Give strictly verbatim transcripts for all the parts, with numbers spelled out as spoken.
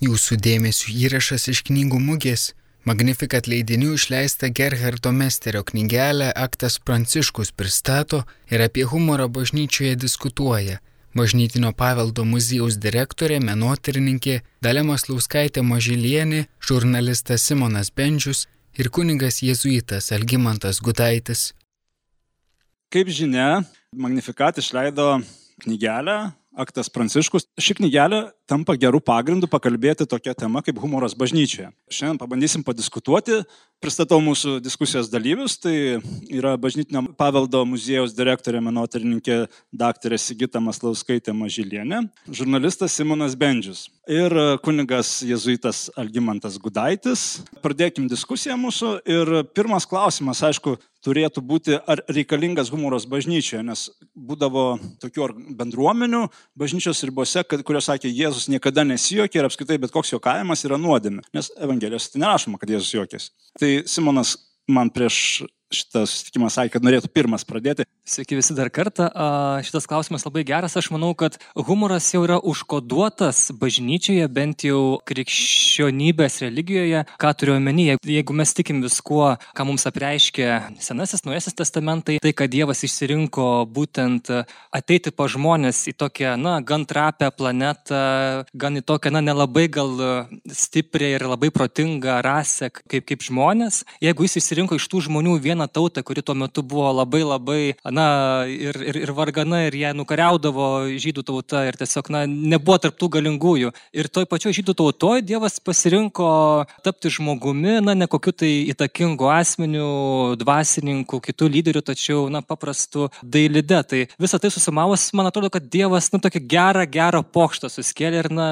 Jūsų dėmesio įrašas iš knygų mugės Magnificat leidinių išleista Gerhardo Mesterio knygelę Aktas Pranciškus pristato ir apie humorą bažnyčioje diskutuoja Bažnytinio paveldo muziejaus direktorė, menotyrininkė Dalia Maslauskaitė Mažylienė, žurnalistas Simonas Bendžius ir kunigas jėzuitas Algimantas Gudaitis. Kaip žinia, Magnificat išleido knygelę Aktas Pranciškus. Ši knygelė tampa gerų pagrindų pakalbėti tokia tema kaip humoras bažnyčioje. Šiandien pabandysim padiskutuoti. Pristatau mūsų diskusijos dalyvius. Tai yra Bažnytinio paveldo muziejaus direktorė, menotyrininkė daktarė Sigita Maslauskaitė Mažylienė, žurnalistas Simonas Bendžius ir kunigas jėzuitas Algimantas Gudaitis. Pradėkim diskusiją mūsų ir pirmas klausimas, aišku, turėtų būti, ar reikalingas humoras bažnyčioje, nes būdavo tokių bendruomenių bažnyčios ribose, kurios sakė, Jėzus niekada nesijuokė ir apskritai bet koks juokavimas yra nuodėmė, nes Evangelijos tai nerašoma, kad Jėzus juokėsi. Tai Simonas man prieš šitą susitikimą sakė, kad norėtų pirmas pradėti. Sveiki visi dar kartą. Šitas klausimas labai geras. Aš manau, kad humoras jau yra užkoduotas bažnyčioje, bent jau krikščionybės religijoje. Ką turiu omeny, jeigu mes tikim viskuo, ką mums apreiškė Senasis, Naujasis testamentai, tai, kad Dievas išsirinko būtent ateiti pa žmonės į tokią, na, gan trapę planetą, gan į tokią, na, nelabai gal stiprią ir labai protingą rasę kaip, kaip žmonės. Jeigu jis išsirinko iš tų žmonių vieną tautą, kuri tuo metu buvo labai labai, na, ir, ir, ir vargana, ir ją nukariaudavo žydų tauta ir tiesiog, na, nebuvo tarp tų galingųjų. Ir toj pačioj žydų tautoj Dievas pasirinko tapti žmogumi, na, ne kokiu tai įtakingu asmeniu, dvasininku, kitų lyderių, tačiau, na, paprastu dailide. Tai visą tai susimavus, man atrodo, kad Dievas, na, tokį gerą, gerą pokštą suskėlė ir, na,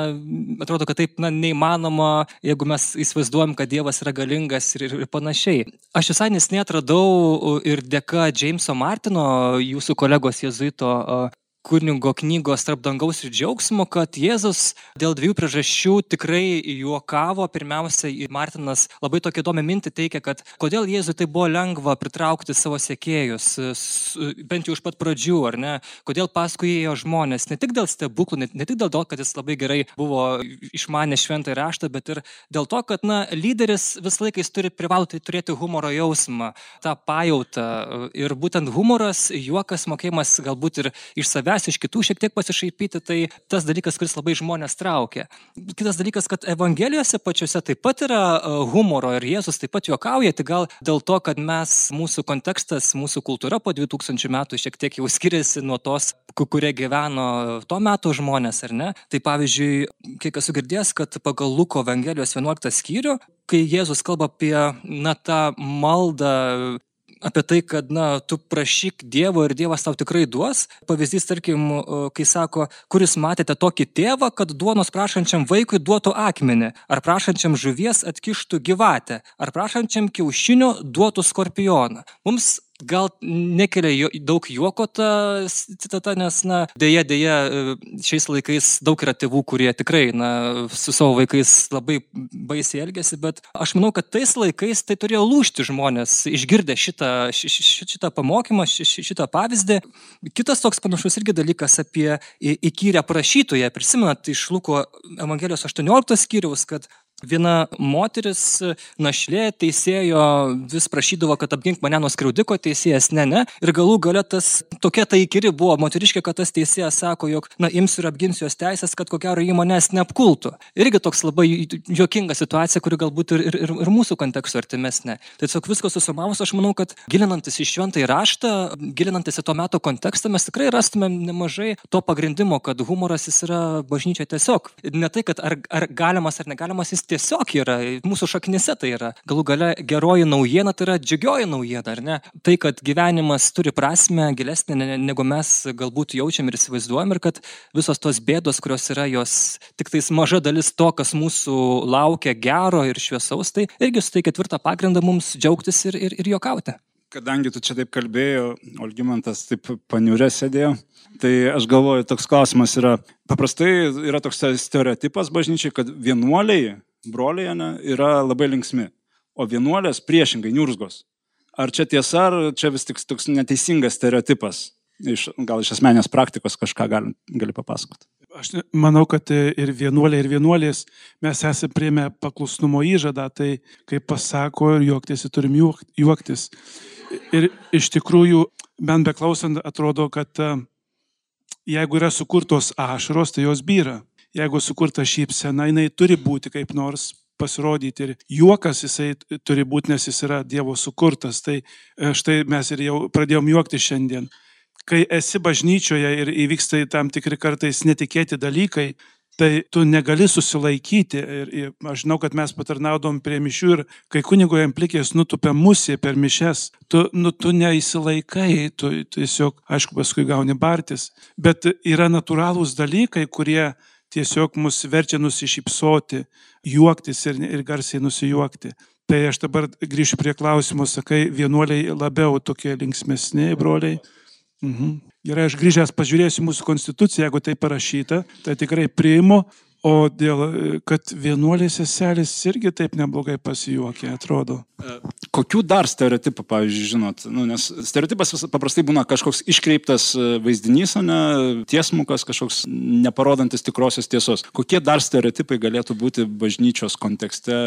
atrodo, kad taip, na, neįmanoma, jeigu mes įsivaizduojam, kad Dievas yra galingas ir, ir panašiai. Aš visai nesnei atradau ir dėka Jameso Martino, jūsų kolegos jėzuito kunigo knygos Tarp dangaus ir džiaugsmo, kad Jėzus dėl dviejų priežasčių tikrai juokavo. Pirmiausia, Martinas labai tokią įdomią mintį teikia, kad kodėl Jėzui tai buvo lengva pritraukti savo sekėjus, bent jau iš pat pradžių, ar ne? Kodėl paskui ėjo žmonės, ne tik dėl stebuklų, ne, ne tik dėl to, kad jis labai gerai buvo išmanę šventąjį raštą, bet ir dėl to, kad, na, lyderis visą laiką jis turi privaloti turėti humoro jausmą, tą pajautą. Ir būtent humoras, juokas, mokėjimas galbūt ir iš savęs, iš kitų šiek tiek pasišaipyti, tai tas dalykas, kuris labai žmonės traukia. Kitas dalykas, kad Evangelijose pačiose taip pat yra humoro ir Jėzus taip pat juokauja, tai gal dėl to, kad mes, mūsų kontekstas, mūsų kultūra po dviejų tūkstančių metų šiek tiek jau skiriasi nuo tos, kurie gyveno to metų žmonės, ar ne? Tai pavyzdžiui, kiek esu girdėjęs, kad pagal Luko Evangelijos vienuoliktą skyrių, kai Jėzus kalba apie, na, tą maldą, apie tai, kad, na, tu prašyk Dievo ir Dievas tau tikrai duos. Pavyzdys, tarkim, kai sako, kuris matėte tokį tėvą, kad duonos prašančiam vaikui duotų akmenį, ar prašančiam žuvies atkištų gyvatę, ar prašančiam kiaušinio duotų skorpioną. Mums gal nekelia daug juoko ta citata, nes, na, dėja, dėja, šiais laikais daug yra tėvų, kurie tikrai, na, su savo vaikais labai baisiai elgiasi, bet aš manau, kad tais laikais tai turėjo lūžti žmonės, išgirdę šitą, šitą pamokymą, šitą pavyzdį. Kitas toks panašus irgi dalykas apie įkyrę prašytoją. Prisimenat iš Luko Evangelijos aštuonioliktos skyriaus, kad viena moteris našlė teisėjo vis prašydavo, kad apgink mane nuo skriaudiko, teisėjas ne, ne. Ir galų gale tas tokia ta įkyri buvo moteriškė, kad tas teisėjas sako, jog, na, imsiu ir apginsiu jos teisės, kad ko gero jį manęs neapkultų. Irgi toks labai juokinga situacija, kuri galbūt ir, ir, ir mūsų konteksto artimesnė. Tai tiesiog viskas susumavus, aš manau, kad gilinantis į šventąjį raštą, gilinantis į to meto kontekstą, mes tikrai rastumėm nemažai to pagrindimo, kad humoras jis yra bažnyčia tiesiog. Ne tai, kad ar, ar galimas ar negalimas, jis tiesiog yra, mūsų šaknise tai yra. Galų gale geroji naujiena tai yra džiugioji naujiena, ar ne? Tai, kad gyvenimas turi prasmę gilesnę, negu mes galbūt jaučiam ir įsivaizduojam, ir kad visos tos bėdos, kurios yra, jos tik tais maža dalis to, kas mūsų laukia gero ir šviesaus, tai irgi suteikia tvirtą pagrindą mums džiaugtis ir, ir, ir juokauti. Kadangi tu čia taip kalbėjai, Algimantas taip paniurė sėdėjo, tai aš galvoju, toks klausimas yra, paprastai yra toks stereotipas bažnyčiai, kad vienuoliai, broliai, ne, yra labai linksmi, o vienuolės priešingai niurzgos. Ar čia tiesa, ar čia vis tik toks neteisingas stereotipas? Iš, gal iš asmenės praktikos kažką gali, gali papasakoti. Aš manau, kad ir vienuoliai, ir vienuolės mes esame priėmę paklusnumo įžadą, tai kaip pasako ir juoktis, turim juoktis. Ir iš tikrųjų, bent beklausant, atrodo, kad jeigu yra sukurtos ašaros, tai jos byra. Jeigu sukurta šypsena, jinai turi būti kaip nors pasirodyti ir juokas jisai turi būti, nes jis yra Dievo sukurtas. Tai štai mes ir jau pradėjom juokti šiandien. Kai esi bažnyčioje ir įvyksta tam tikri kartais netikėti dalykai, tai tu negali susilaikyti. Ir, ir aš žinau, kad mes patarnaudom prie mišių ir kai kunigo amplikės nutupia musė per mišes, tu, nu, tu neįsilaikai, tu tiesiog, aišku, paskui gauni bartis. Bet yra natūralūs dalykai, kurie tiesiog mus verčia nusišypsoti, juoktis ir, ir garsiai nusijuokti. Tai aš dabar grįšiu prie klausimo, sakai, vienuoliai labiau tokie linksmesni broliai. Mhm. Gerai, aš grįžęs pažiūrėsiu mūsų konstituciją, jeigu tai parašyta, tai tikrai priimu, o dėl, kad vienuolės seselės irgi taip neblogai pasijuokė, atrodo. Kokių dar stereotipų, pavyzdžiui, žinot? Nu, nes stereotipas paprastai būna kažkoks iškreiptas vaizdinys, o ne tiesmukas, kažkoks neparodantis tikrosios tiesos. Kokie dar stereotipai galėtų būti bažnyčios kontekste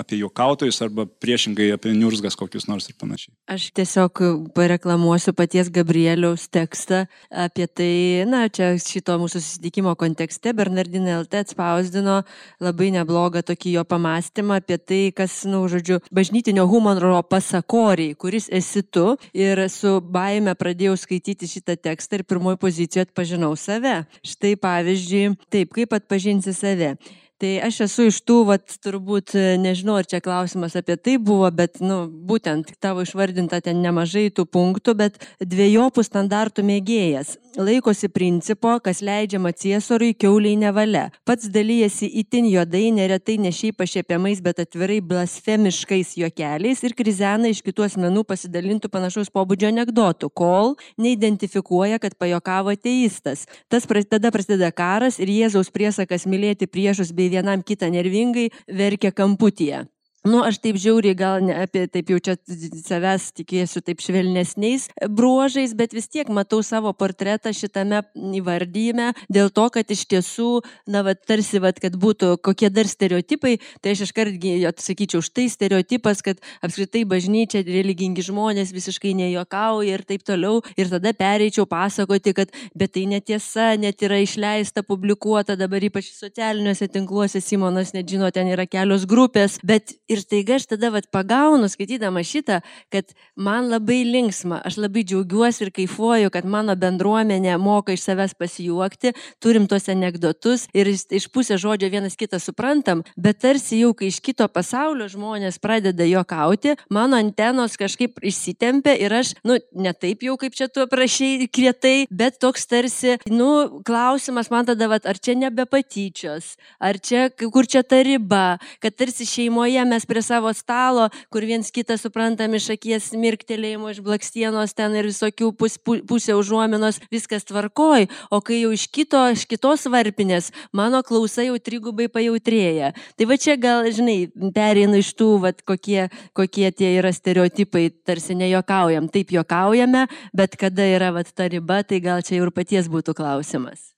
apie juokautojus arba priešingai apie niurzgas kokius nors ir panašiai? Aš tiesiog pareklamuosiu paties Gabrieliaus tekstą apie tai, na, čia šito mūsų susitikimo kontekste Bernardinai L T spausdino labai neblogą tokį jo pamastymą apie tai, kas, nu, žodžiu, bažnytinio humoro pasakoriai, kuris esi tu, ir su baime pradėjau skaityti šitą tekstą ir pirmoji pozicijoje atpažinau save. Štai pavyzdžiui, taip, kaip atpažinsi save. Tai aš esu iš tų, vat, turbūt, nežinau, ar čia klausimas apie tai buvo, bet, nu, būtent tavo išvardinta ten nemažai tų punktų, bet dviejopų standartų mėgėjas. Laikosi principo, kas leidžiama Ciesoriui, kiauliai nevalia. Pats dalyjasi itin juodai, neretai ne šiaip pašiepiamais, bet atvirai blasfemiškais juokeliais ir krizena iš kitų asmenų pasidalintų panašaus pobūdžio anekdotų, kol neidentifikuoja, kad pajokavo ateistas. Tas tada prasideda karas ir Jėzaus priesakas mylėti priešus bei vienam kitą nervingai verkia kamputyje. Nu, aš taip žiauriai gal ne apie, taip jau čia savęs tikėsiu taip švelnesniais bruožais, bet vis tiek matau savo portretą šitame įvardyjime dėl to, kad iš tiesų, na, va, tarsi, va, kad būtų kokie dar stereotipai, tai aš iškartgi atsakyčiau, štai stereotipas, kad apskritai bažnyčia, religingi žmonės visiškai nejuokauja ir taip toliau, ir tada pereičiau pasakoti, kad bet tai netiesa, net yra išleista, publikuota, dabar ypač socialiniuose tinkluose, Simonas net žino, ten yra kelios grupės, bet ir staiga aš tada vat pagaunu, skaitydama šitą, kad man labai linksma, aš labai džiaugiuosi ir kaifuoju, kad mano bendruomenė moka iš savęs pasijuokti, turim tos anekdotus ir iš pusės žodžio vienas kitą suprantam, bet tarsi jau, kai iš kito pasaulio žmonės pradeda juokauti, mano antenos kažkaip išsitempia ir aš, nu, ne taip jau, kaip čia tu aprašei kietai, bet toks tarsi, nu, klausimas man tada, vat, ar čia nebe patyčios, ar čia, kur čia ta riba, kad tarsi šeimoje mes prie savo stalo, kur viens kitą suprantam iš akies mirktelėjimo, iš blakstienos ten ir visokių pus, pusė užuominos, viskas tvarkoj, o kai jau iš, kito, iš kitos varpinės, mano klausa jau trigubai pajautrėja. Tai va čia gal, žinai, pereinu iš tų, vat, kokie, kokie tie yra stereotipai, tarsi nejuokaujam, taip juokaujame, bet kada yra vat, ta riba, tai gal čia ir paties būtų klausimas.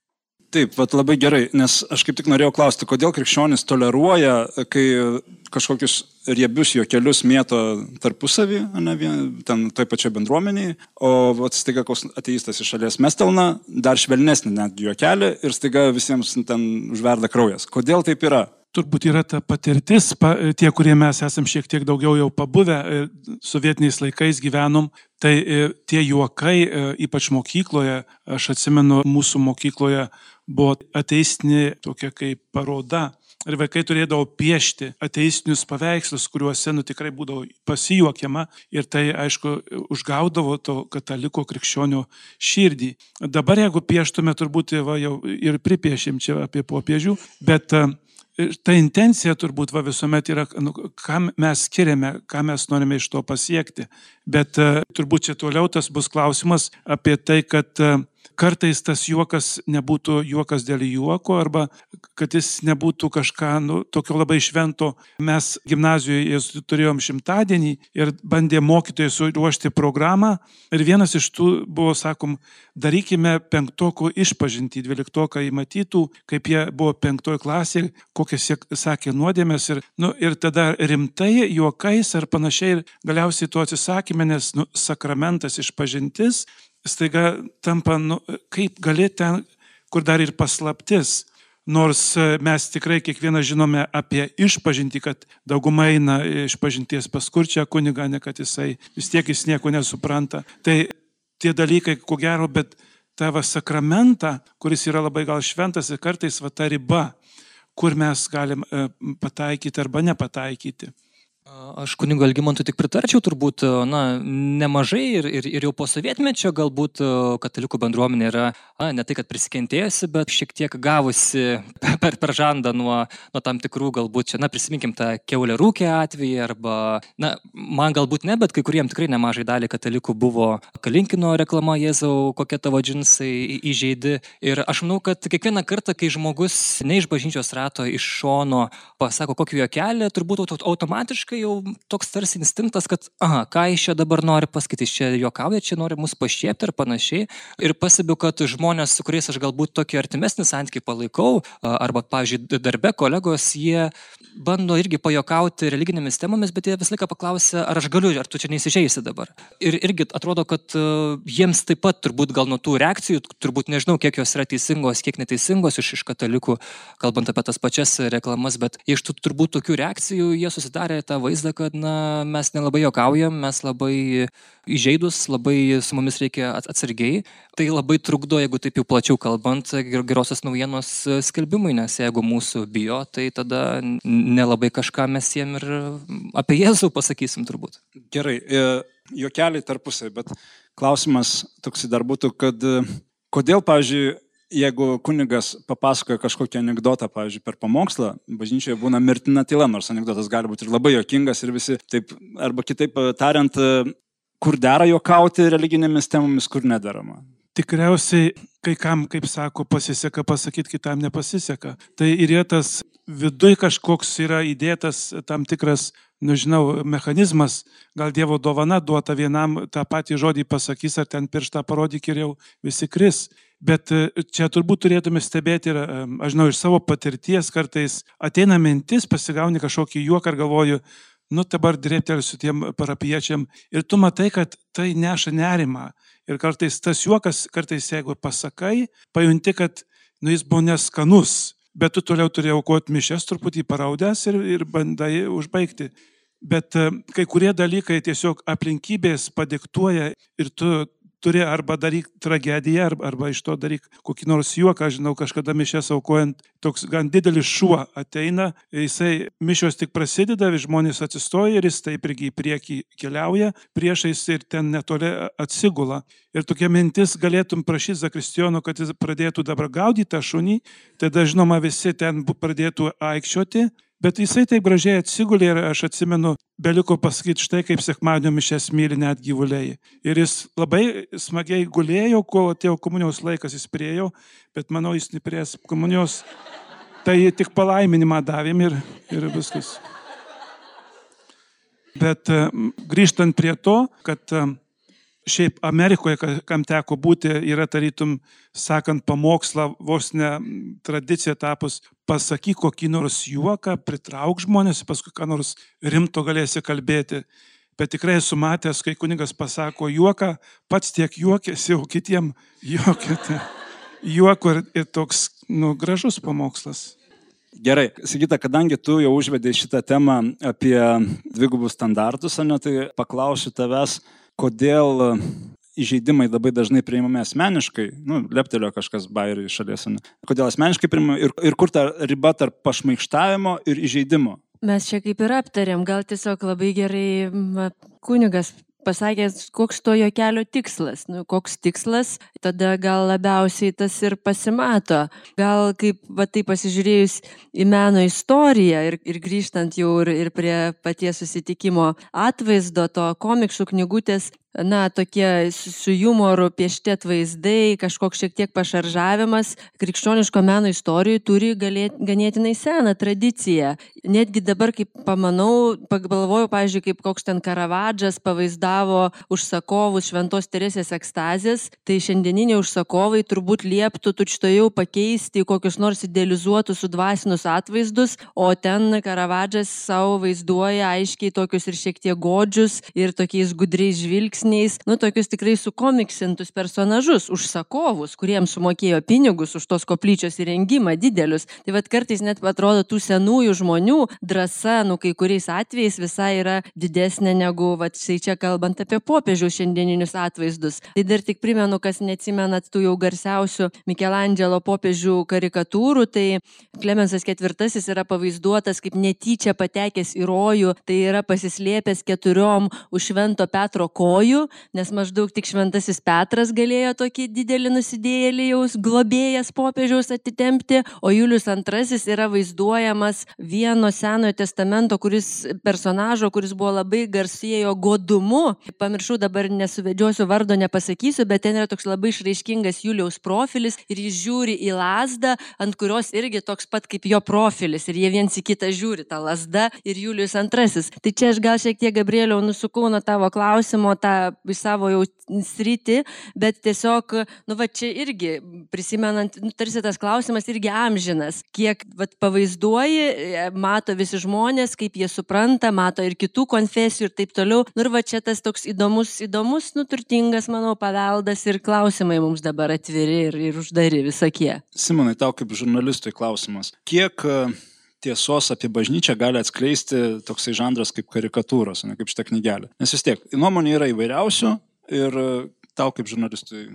Taip, vat labai gerai, nes aš kaip tik norėjau klausti, kodėl krikščionis toleruoja, kai kažkokius riebius juokelius mėto tarpusavį, ne, ten toj pačioj bendruomeniai, o vat, staiga koks ateistas iš šalies mestelna, dar švelnesnį net juokelį ir staiga visiems ten užverda kraujas. Kodėl taip yra? Turbūt yra ta patirtis, pa, tie, kurie mes esam šiek tiek daugiau jau pabuvę, sovietiniais laikais gyvenom, tai tie juokai, ypač mokykloje, aš atsimenu, mūsų mokykloje buvo ateistinė tokia kaip paroda. Ir vaikai turėdavo piešti ateistinius paveikslus, kuriuose, nu, tikrai būdavo pasijuokiama ir tai, aišku, užgaudavo to kataliko krikščionio širdį. Dabar, jeigu pieštume, turbūt va, jau ir pripiešim čia apie popiežių, bet ta intencija turbūt va, visuomet yra, nu, ką mes skiriame, ką mes norime iš to pasiekti. Bet uh, turbūt čia toliau tas bus klausimas apie tai, kad uh, kartais tas juokas nebūtų juokas dėl juoko arba kad jis nebūtų kažką nu, tokio labai švento. Mes gimnazijoje turėjom šimtadienį ir bandė mokytojai suruošti programą ir vienas iš tų buvo, sakom, darykime penktokų išpažintį, dvyliktoką įmatytų, kaip jie buvo penktoj klasėje, kokias jie sakė nuodėmės ir, nu, ir tada rimtai juokais ar panašiai ir galiausiai to atsisakėme, nes nu, sakramentas išpažintis staiga tampa, nu, kaip gali ten, kur dar ir paslaptis. Nors mes tikrai kiekvieną žinome apie išpažintį, kad dauguma eina išpažinties pas kurčią kunigą, ne kad jisai vis tiek jis nieko nesupranta. Tai tie dalykai, ko gero, bet tavo sakramentą, kuris yra labai gal šventas ir kartais va ta riba, kur mes galim pataikyti arba nepataikyti. Aš kunigo Algimantui tik pritarčiau turbūt, na, nemažai ir, ir, ir jau po sovietmečio galbūt katalikų bendruomenė yra, na, ne tai, kad prisikentėjusi, bet šiek tiek gavusi per, per žandą nuo, nuo tam tikrų galbūt čia, na, prisiminkim tą kiaulę rūkę atvejį arba, na, man galbūt ne, bet kai kuriem tikrai nemažai dalį katalikų buvo Kalinkino reklama Jėzau, kokie tavo džinsai įžeidi. Ir aš manau, kad kiekvieną kartą, kai žmogus ne iš bažnyčios rato, iš šono pasako kokį juokelį, turbūt automatiškai jau toks tarsi instinktas, kad aha, ką iš čia dabar nori pasakyti, iš čia juokauja, čia nori mus pašiepti ir panašiai. Ir pastebiu, kad žmonės, su kuriais aš galbūt tokį artimesnį santykį palaikau, arba, pavyzdžiui, darbe kolegos, jie bando irgi pajuokauti religinėmis temomis, bet jie visą laiką paklausia, ar aš galiu, ar tu čia neįsižeisi dabar. Ir irgi atrodo, kad jiems taip pat turbūt gal nuo tų reakcijų, turbūt nežinau, kiek jos yra teisingos, kiek neteisingos iš, iš katalikų, kalbant apie tas pačias reklamas, bet iš tų turbūt tokių reakcijų jie susidarė tą vaizdą, kad na, mes nelabai juokaujam, mes labai įžeidus, labai su mumis reikia atsargiai. Tai labai trukdo, jeigu taip jau plačiau kalbant, gerosios naujienos skelbimui, nes jeigu mūsų bijo, tai tada nelabai kažką mes jiem ir apie Jėzų pasakysim turbūt. Gerai, juokeliai tarpusai, bet klausimas toks dar būtų, kad kodėl, pavyzdžiui, jeigu kunigas papasakoja kažkokį anekdotą, pavyzdžiui, per pamokslą, bažnyčioje būna mirtina tyla, nors anekdotas gali būti ir labai juokingas ir visi taip, arba kitaip tariant, kur dera juokauti religinėmis temomis, kur nedarama. Tikriausiai, kai kam, kaip sako, pasiseka pasakyti, kitam nepasiseka. Tai ir yra tas viduj kažkoks yra įdėtas tam tikras, nežinau, mechanizmas, gal Dievo dovana duota vienam tą patį žodį pasakys, ar ten pirštą parodyk ir jau visi kris. Bet čia turbūt turėtume stebėti ir, aš žinau, iš savo patirties kartais ateina mintis, pasigauni kažkokį juoką ir galvoju, nu dabar drėptelsiu tiem parapiečiam ir tu matai, kad tai neša nerimą. Ir kartais tas juokas, kartais jeigu pasakai, pajunti, kad nu, jis buvo neskanus, bet tu toliau turėjai aukoti mišes truputį paraudęs ir, ir bandai užbaigti. Bet kai kurie dalykai tiesiog aplinkybės padiktuoja ir tu turi arba daryk tragediją, arba, arba iš to daryk kokį nors juoką. Aš žinau, kažkada mišes aukojant, toks gan didelis šuo ateina, jisai mišios tik prasideda, žmonės atsistoja ir jis taip irgi į priekį keliauja, priešais ir ten netoli atsigula. Ir tokia mintis, galėtum prašyti zakristijono, kad jis pradėtų dabar gaudyti tą šunį, tada žinoma visi ten pradėtų aikščioti. Bet jisai taip gražiai atsigulė ir aš atsimenu, beliko pasakyti štai, kaip sekmadienio mišias myli net gyvuliai. Ir jis labai smagiai gulėjo, kol atėjo komunijos laikas, jis priėjo, bet manau, jis neprės komunijos. Tai tik palaiminimą davėm ir, ir viskas. Bet grįžtant prie to, kad šiaip Amerikoje, kam teko būti, yra tarytum, sakant pamokslą, vos ne tradicija tapus, pasakyk kokį nors juoką, pritrauk žmonės, paskui ką nors rimto galėsi kalbėti. Bet tikrai esu matęs, kai kunigas pasako juoką, pats tiek juokėsi, jau kitiem juokėte. Juoko ir, ir toks nu, gražus pamokslas. Gerai, Sigita, kadangi tu jau užvedei šitą temą apie dvigubus standartus, ne, tai paklausiu tavęs, kodėl įžeidimai labai dažnai priimami asmeniškai, nu, leptelio kažkas bairį iš šalies, ne? Kodėl asmeniškai priimami ir, ir kur ta riba tarp pašmaikštavimo ir įžeidimo? Mes čia kaip ir aptarėm, gal tiesiog labai gerai kunigas pasakė, koks to juokelio tikslas. Nu, koks tikslas, tada gal labiausiai tas ir pasimato. Gal kaip va, tai pasižiūrėjus į meno istoriją ir, ir grįžtant jau ir, ir prie paties susitikimo atvaizdo, to komiksų knygutės, na, tokie su jumoru piešti atvaizdai, kažkoks šiek tiek pašaržavimas krikščioniško meno istorijoje turi galėt, ganėtinai seną tradiciją. Netgi dabar, kaip pamanau, pagalvoju, pavyzdžiui, kaip koks ten Karavadžas pavaizdavo užsakovus Šventos Teresės ekstazės, tai šiandieniniai užsakovai turbūt lieptų tučtojau pakeisti kokius nors idealizuotus sudvasinus atvaizdus, o ten Karavadžas savo vaizduoja aiškiai tokius ir šiek tiek godžius ir tokiais gudriais žvilgsniais, nu, tokius tikrai sukomiksintus personažus, užsakovus, kuriems sumokėjo pinigus už tos koplyčios įrengimą didelius. Tai vad kartais net atrodo tų senųjų žmonių drąsa, nu, kai kuriais atvejais visai yra didesnė negu, vad, štai čia kalbant apie popiežiaus šiandieninius atvaizdus. Tai dar tik primenu, kas neatsimenat tų jau garsiausių Mikelandželo popiežių karikatūrų, tai Klemensas ketvirtasis yra pavaizduotas kaip netyčia patekęs į rojų, tai yra pasislėpęs keturiom už Švento Petro kojų, nes maždaug tik Šventasis Petras galėjo tokį didelį nusidėjėlį jaus globėjas popiežiaus atitempti, o Julius antrasis yra vaizduojamas vieno Senojo testamento, kuris personažo, kuris buvo labai garsėjo godumu. Pamiršau, dabar nesuvedžiosiu vardo, nepasakysiu, bet ten yra toks labai išraiškingas Juliaus profilis ir jis žiūri į lazdą, ant kurios irgi toks pat kaip jo profilis ir jie viens į kitą žiūri, ta lazda ir Julius antrasis. Tai čia aš gal šiek tiek, Gabrieliau, nusukau nuo tavo klausimo, tą į savo jau sritį, bet tiesiog, nu va čia irgi, prisimenant, nu, tarsi tas klausimas irgi amžinas, kiek va, pavaizduoji, mato visi žmonės, kaip jie supranta, mato ir kitų konfesijų ir taip toliau. Nu ir va čia tas toks įdomus, įdomus, nu turtingas, manau, paveldas ir klausimai mums dabar atviri ir, ir uždari visokie. Simonai, tau kaip žurnalistui klausimas. Kiek tiesos apie bažnyčią gali atskleisti toksai žanras kaip karikatūros, ne kaip šitą knygelę? Nes vis tiek, nuomonė yra įvairiausių ir tau kaip žurnalistui.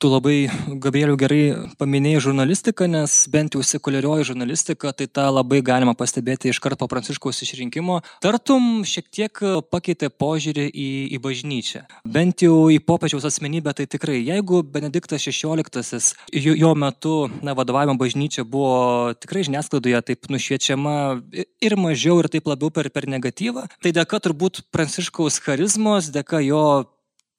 Tu labai, Gabrieliau, gerai paminėjai žurnalistiką, nes bent jau sekuliarioji žurnalistika, tai tą labai galima pastebėti iškart po Pranciškaus išrinkimo. Tartum šiek tiek pakeitė požiūrį į, į bažnyčią. Bent jau į popiežiaus asmenybę, tai tikrai, jeigu Benediktas šešioliktasis jo, jo metu na, vadovavimo bažnyčia buvo tikrai žiniasklaidoje taip nušviečiama ir mažiau ir taip labiau per, per negatyvą, tai dėka turbūt Pranciškaus charizmos, dėka jo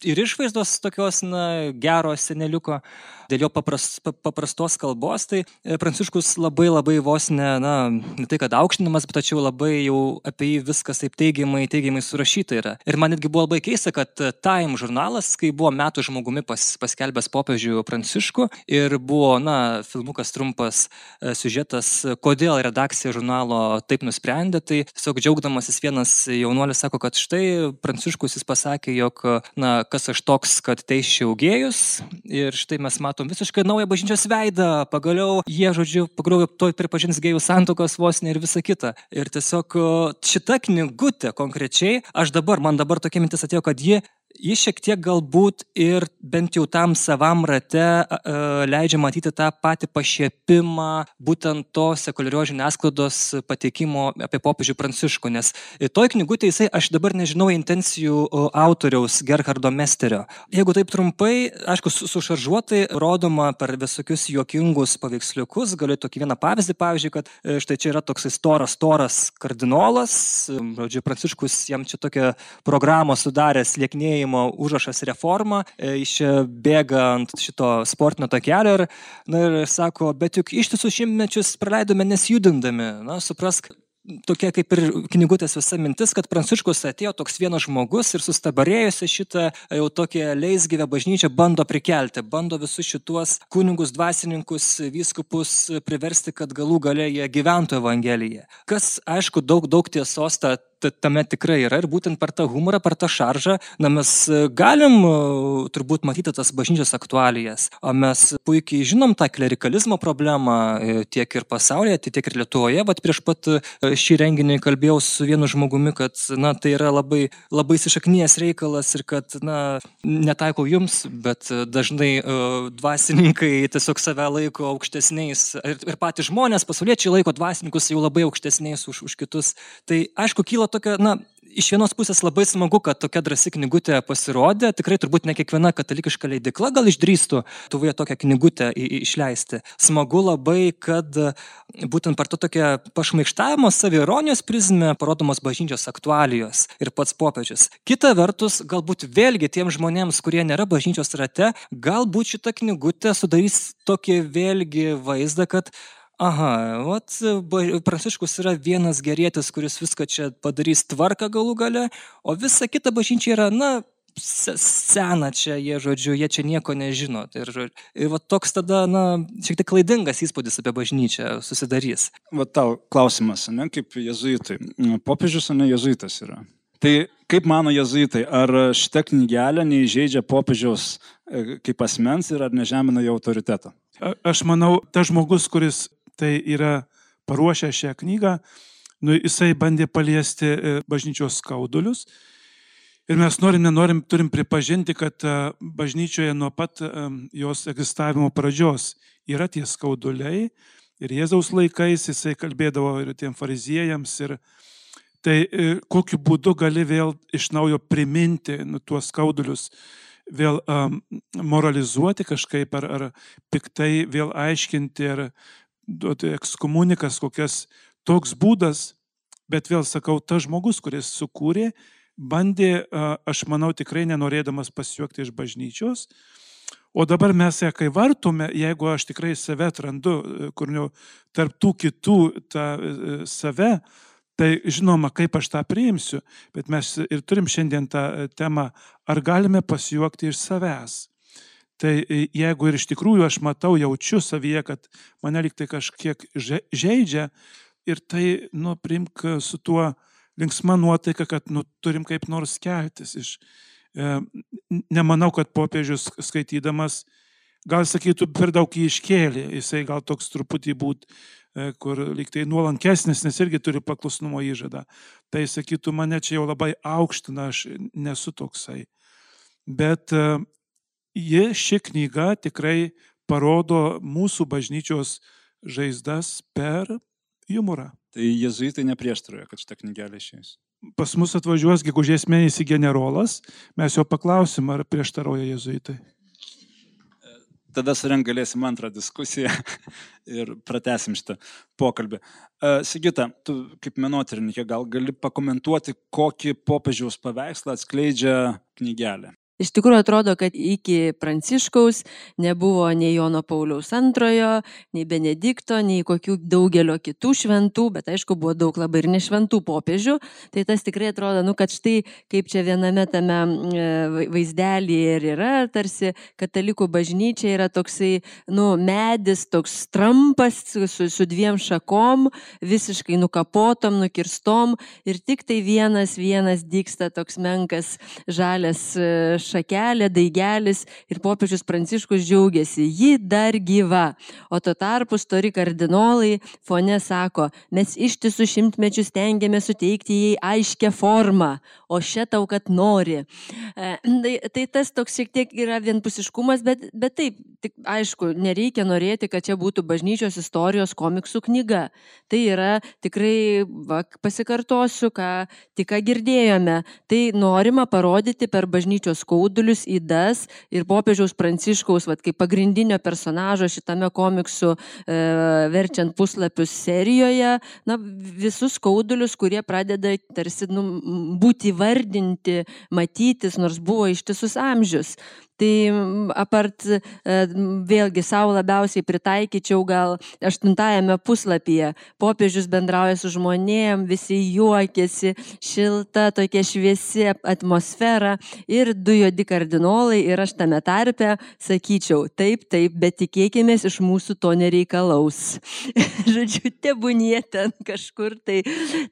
ir išvaizdos tokios, na, gero seneliuko, dėl jo papras, paprastos kalbos, tai Pranciškus labai labai vos ne, na, ne tai kad aukštinimas, bet tačiau labai jau apie jį viskas taip teigiamai, teigiamai surašyta yra. Ir man netgi buvo labai keista, kad Time žurnalas, kai buvo metų žmogumi pas, paskelbęs popiežių Pranciškų ir buvo, na, filmukas trumpas siužetas, kodėl redakcija žurnalo taip nusprendė, tai tiesiog džiaugdamasis vienas jaunuolis sako, kad štai Pranciškus jis pasakė, jog, na, kas aš toks, kad teisčiau gėjus ir štai mes matom visiškai naują bažnyčios veidą, pagaliau jie, žodžiu, pagaliau toj pripažins gėjų santuokos vos ne ir visa kita. Ir tiesiog šita knygutė konkrečiai, aš dabar, man dabar tokia mintis atėjo, kad ji Jis šiek tiek galbūt ir bent jau tam savam rate uh, leidžia matyti tą patį pašiepimą būtent to sekuliarios žiniasklaidos pateikimo apie popiežių Pranciškų, nes toj knygutė jisai, aš dabar nežinau intencijų autoriaus Gerhardo Mesterio. Jeigu taip trumpai, aišku, sušaržuotai rodoma per visokius juokingus paveiksliukus, galiu tokį vieną pavyzdį, pavyzdžiui, kad štai čia yra toks storas, storas kardinolas, žodžiu, Pranciškus jam čia tokią programą sudaręs lieknėjimą užrašas reforma, iš bėga ant šito sportinio takelio ir, na, ir sako, bet juk ištisus šimtmečius praleidome nesjudindami, na, suprask, tokia kaip ir knygutės visa mintis, kad Pranciškus atėjo toks vienas žmogus ir sustabarėjusi šitą jau tokią leisgyvę bažnyčią bando prikelti, bando visus šituos kunigus, dvasininkus, vyskupus priversti, kad galų gale jie gyventų evangeliją. Kas, aišku, daug, daug tiesos ta tame tikrai yra ir būtent per tą humorą, per tą šaržą, na, mes galim turbūt matyti tas bažnyčios aktualijas, o mes puikiai žinom tą klerikalizmo problemą tiek ir pasaulyje, tiek ir Lietuvoje, bet prieš pat šį renginį kalbėjau su vienu žmogumi, kad, na, tai yra labai, labai įsišaknijęs reikalas ir kad, na, netaikau jums, bet dažnai uh, dvasininkai tiesiog save laiko aukštesniais ir, ir patys žmonės, pasauliečiai laiko dvasininkus jau labai aukštesniais už, už kitus. Tai aišku, kyla tokia, na, iš vienos pusės labai smagu, kad tokia drąsi knygutė pasirodė. Tikrai turbūt ne kiekviena katalikiška leidykla gal išdrįstų tuvoje tokią knygutę išleisti. Smagu labai, kad būtent per to tokią pašmaikštavimo saviironijos prizmę parodomos bažnyčios aktualijos ir pats popiežius. Kita vertus, galbūt vėlgi tiems žmonėms, kurie nėra bažnyčios rate, galbūt šita knygutė sudarys tokį vėlgi vaizdą, kad aha, vat, Pranciškus yra vienas gerietis, kuris viską čia padarys tvarką galų gale, o visa kita bažnyčia yra, na, sena čia, jie, žodžiu, jie čia nieko nežino. Ir, ir va, toks tada, na, šiek tiek klaidingas įspūdis apie bažnyčią susidarys. Va tau klausimas, ne, kaip jezuitai. Popiežius, ne, jezuitas yra. Tai kaip mano jezuitai, ar šita knygelė neįžeidžia popiežiaus kaip asmens ir ar nežemina jo autoriteto? A, aš manau, tas žmogus, kuris tai yra paruošę šią knygą, nu, jisai bandė paliesti bažnyčios skaudulius. Ir mes norim, nenorim, turim pripažinti, kad bažnyčioje nuo pat jos egzistavimo pradžios yra tie skauduliai. Ir Jėzaus laikais jisai kalbėdavo ir tiem fariziejams. Ir tai kokiu būdu gali vėl iš naujo priminti nu, tuos skaudulius, vėl um, moralizuoti kažkaip ar, ar piktai vėl aiškinti ar duoti ekskomunikas, kokias toks būdas, bet vėl sakau, tas žmogus, kuris sukūrė, bandė, aš manau, tikrai nenorėdamas pasijuokti iš bažnyčios, o dabar mes ją kai vartume, jeigu aš tikrai save atrandu, kur nu, tarp tų kitų tą save, tai žinoma, kaip aš tą priimsiu, bet mes ir turim šiandien tą temą, ar galime pasijuokti iš savęs. Tai jeigu ir iš tikrųjų aš matau, jaučiu savyje, kad mane lyg tai kažkiek žeidžia ir tai, nu, priimk su tuo linksma nuotaika, kad, nu, turim kaip nors keltis iš. E, nemanau, kad popiežius skaitydamas, gal sakytų, per daug jį iškėlė, jisai gal toks truputį būt, e, kur lyg tai nuolankesnis, nes irgi turi paklusnumo įžadą. Tai sakytų, mane čia jau labai aukština, aš nesu toksai. Bet e, Ji, ši knyga tikrai parodo mūsų bažnyčios žaizdas per humorą. Tai jezuitai neprieštarauja, kad šitą knygelę išeis. Pas mus atvažiuos gegužės mėnesį generolas, mes jo paklausim, ar prieštarauja jezuitai. Tada surenk galėsim antrą diskusiją ir pratęsim šitą pokalbį. Sigita, tu kaip menotyrininkė gal gali pakomentuoti, kokį popiežiaus paveikslą atskleidžia knygelė? Iš tikrųjų atrodo, kad iki Pranciškaus nebuvo nei Jono Pauliaus antrojo, nei Benedikto, nei kokių daugelio kitų šventų, bet aišku, buvo daug labai ir nešventų popiežių. Tai tas tikrai atrodo, nu, kad štai kaip čia viename tame vaizdelėje ir yra, tarsi katalikų bažnyčia yra toksai, nu, medis, toks trampas su, su dviem šakom, visiškai nukapotom, nukirstom ir tik tai vienas, vienas dygsta toks menkas žalias šakelė, daigelis ir popiežius Pranciškus džiaugiasi, ji dar gyva. O tuo tarpu stori kardinolai fone sako, mes ištisų šimtmečius stengiamės suteikti jai aiškę formą, o šia tau, kad nori. E, tai, tai tas toks šiek tiek yra vienpusiškumas, bet, bet taip, tik, aišku, nereikia norėti, kad čia būtų bažnyčios istorijos komiksų knyga. Tai yra tikrai, va, pasikartosiu, ką tik ką girdėjome, tai norima parodyti per bažnyčios skaudulius, ydas ir popiežiaus Pranciškaus, vat, kaip pagrindinio personažo šitame komiksų e, verčiant puslapius serijoje, na, visus skaudulius, kurie pradeda tarsi nu, būti vardinti, matytis, nors buvo ištisus amžius. Tai apart vėlgi savo labiausiai pritaikyčiau gal aštuntajame puslapyje. Popiežius bendrauja su žmonėm, visi juokiasi, šilta, tokia šviesi atmosfera ir du juodi kardinolai ir aš tame tarpe sakyčiau, taip, taip, bet tikėkimės iš mūsų to nereikalaus. Žodžiu, tebūnie ten kažkur. Tai,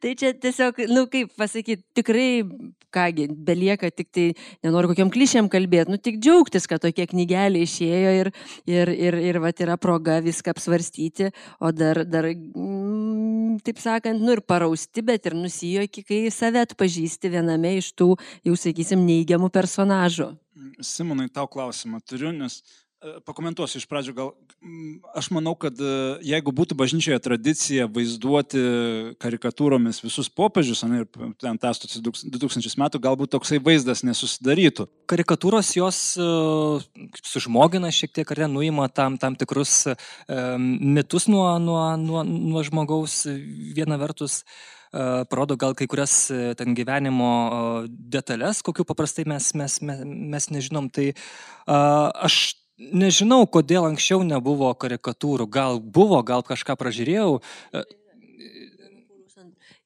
tai čia tiesiog, nu kaip pasakyti, tikrai, kągi, belieka tik tai, nenoriu kokiam klišėm kalbėti, nu tik džiaugtis, kad tokia knygelė išėjo ir, ir, ir, ir vat, yra proga viską apsvarstyti, o dar, dar mm, taip sakant, nu ir parausti, bet ir nusijuoki, kai save atpažįsti viename iš tų, jau sakysim, neigiamų personažų. Simonai, tau klausimą turiu, nes Pakomentuosiu iš pradžių, gal aš manau, kad jeigu būtų bažnyčioje tradicija vaizduoti karikatūromis visus popiežius, ir ten tęstųsi du tūkstančius metų, galbūt toksai vaizdas nesusidarytų. Karikatūros jos uh, sužmogina šiek tiek, ar nuima tam, tam tikrus uh, mitus nuo, nuo, nuo, nuo žmogaus viena vertus. Uh, parodo gal kai kurias uh, ten gyvenimo uh, detalės, kokių paprastai mes, mes, mes, mes nežinom. Tai uh, aš nežinau, kodėl anksčiau nebuvo karikatūrų. Gal buvo, gal kažką pražiūrėjau.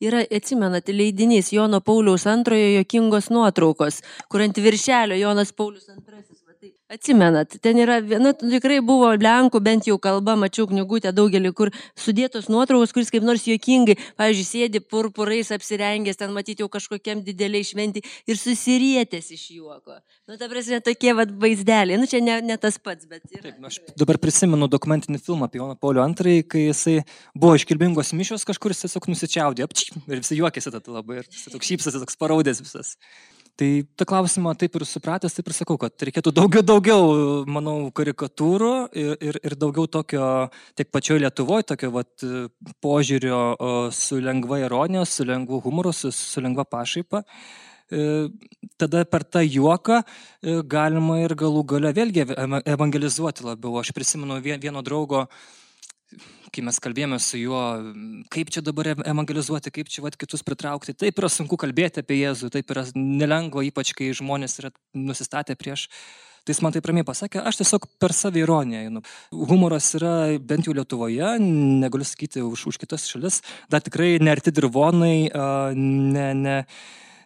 Yra, atsimenate, leidinys Jono Pauliaus antrojo juokingos nuotraukos, kur ant viršelio Jonas Paulius antrasis. Atsimenat, ten yra, nu, tikrai buvo lenkų, bent jau kalba, mačiau knygutę daugelį, kur sudėtos nuotraukos, kuris kaip nors juokingai, pavyzdžiui, sėdi purpurais apsirengęs, ten matyti jau kažkokiam dideliai šventį ir susirietęs iš juoko. Nu, ta prasme, tokie vat vaizdeliai, nu, čia ne, ne tas pats, bet yra. Taip, aš dabar prisimenu dokumentinį filmą apie Joną Paulių antrąjį, kai jisai buvo iškilmingos mišios, kažkur jis tiesiog nusičiaudė, ir visi juokėsi tada labai, ir jis toks šypsasi, toks paraudės visas. Tai tą klausimą taip ir supratęs, taip ir sakau, kad reikėtų daugiau, daugiau, manau, karikatūrų ir, ir, ir daugiau tokio, tiek pačioje Lietuvoje, tokio vat, požiūrio su lengva ironija, su lengvu humoru, su, su lengva pašaipa. Tada per tą juoką galima ir galų gale vėlgi evangelizuoti labiau. Aš prisimenu vieno draugo, kai mes kalbėjome su juo, kaip čia dabar evangelizuoti, kaip čia vat, kitus pritraukti. Taip yra sunku kalbėti apie Jėzų, taip yra nelengva, ypač kai žmonės yra nusistatę prieš. Tai jis man taip ramiai pasakė, aš tiesiog per saviironiją. Humoras yra bent jau Lietuvoje, negaliu sakyti už, už kitas šalis, dar tikrai nearti dirvonai, ne... ne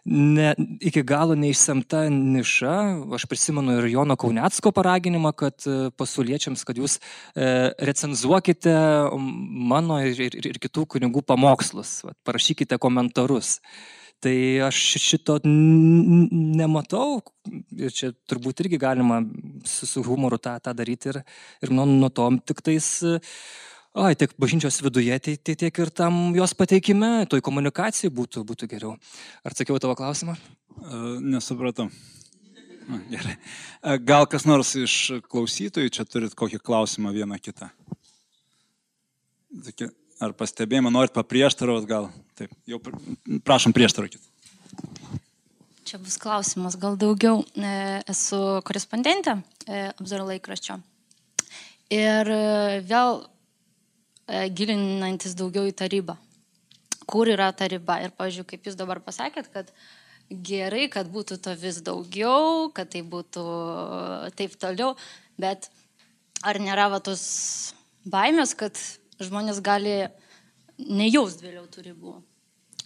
Ne, iki galo neišsemta niša. Aš prisimenu ir Jono Kaunecko paraginimą, kad pasauliečiams, kad jūs e, recenzuokite mano ir, ir, ir kitų kunigų pamokslus, vat, parašykite komentarus. Tai aš šito nematau ir čia turbūt irgi galima su, su humoru tą, tą daryti ir, ir nuo, nuo to tik tais... Ai, tiek bažnyčios viduje, tai, tai tiek ir tam jos pateikime, toj komunikacijai būtų, būtų geriau. Ar atsakiau tavo klausimą? Uh, nesupratau. Na, gerai. Uh, gal kas nors iš klausytojų čia turit kokį klausimą vieną kitą? Ar pastebėjimą norit paprieštaravot gal? Taip, jau prašom prieštaravokit. Čia bus klausimas, gal daugiau. Esu korespondentė Apzaro laikraščio. Ir vėl gilinantis daugiau į tą ribą. Kur yra ta riba? Ir, pavyzdžiui, kaip jūs dabar pasakėt, kad gerai, kad būtų to vis daugiau, kad tai būtų taip toliau, bet ar nėra va tos baimės, kad žmonės gali nejaust vėliau tų ribų?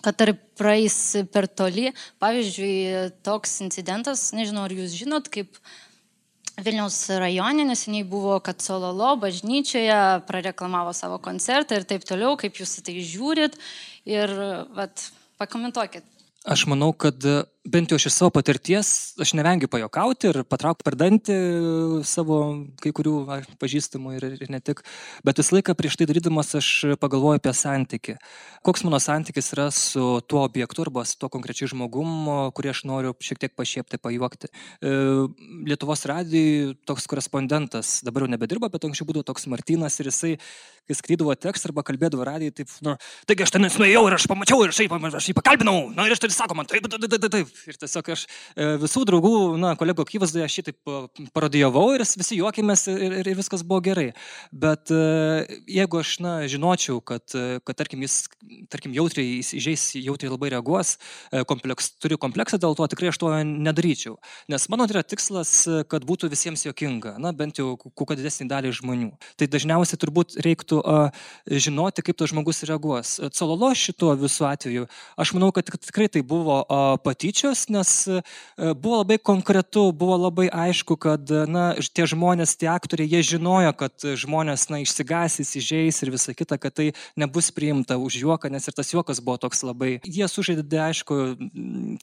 Kad ar praeis per toli? Pavyzdžiui, toks incidentas, nežinau, ar jūs žinot, kaip Vilniaus rajone neseniai buvo, kad Sololo bažnyčioje prareklamavo savo koncertą ir taip toliau, kaip jūs tai žiūrit ir vat, pakomentuokit. Aš manau, kad bent jau iš savo patirties aš nevengiu pajokauti ir patraukti per dantį savo kai kurių pažįstamų ir, ir ne tik. Bet visą laiką prieš tai darydamas aš pagalvoju apie santykį. Koks mano santykis yra su tuo objektu arba su tuo konkrečiai žmogum, kurį aš noriu šiek tiek pašiepti, pajuokti. Lietuvos radijui toks korespondentas, dabar jau nebedirba, bet anksčiau būdavo toks Martynas ir jisai, kai skrydavo tekstą arba kalbėdavo radijui, taip, nu, taigi aš ten nuėjau ir aš pamačiau ir šiaip, aš jį pakalbinau, na ir aš tai sako man, taip, taip, taip, taip. Ir tiesiog aš visų draugų, na, kolegų akivaizdoje aš šį taip parodijavau ir visi juokėmės ir, ir, ir viskas buvo gerai. Bet jeigu aš, na, žinočiau, kad, kad tarkim, jis, tarkim, jautriai, jis įžeis, jautriai labai reaguos, kompleks, turiu kompleksą, dėl to tikrai aš to nedaryčiau. Nes mano yra tikslas, kad būtų visiems juokinga, na, bent jau kuo didesnį dalį žmonių. Tai dažniausiai turbūt reiktų a, žinoti, kaip tas žmogus reaguos. Sololo šito visų atveju, aš manau, kad tikrai tai buvo a, patyčios, nes a, buvo labai konkretu, buvo labai aišku, kad na, tie žmonės, tie aktoriai, jie žinojo, kad žmonės na, išsigasys, įžeis ir visa kita, kad tai nebus priimta už juoką, nes ir tas juokas buvo toks labai. Jie sužaidė, aišku,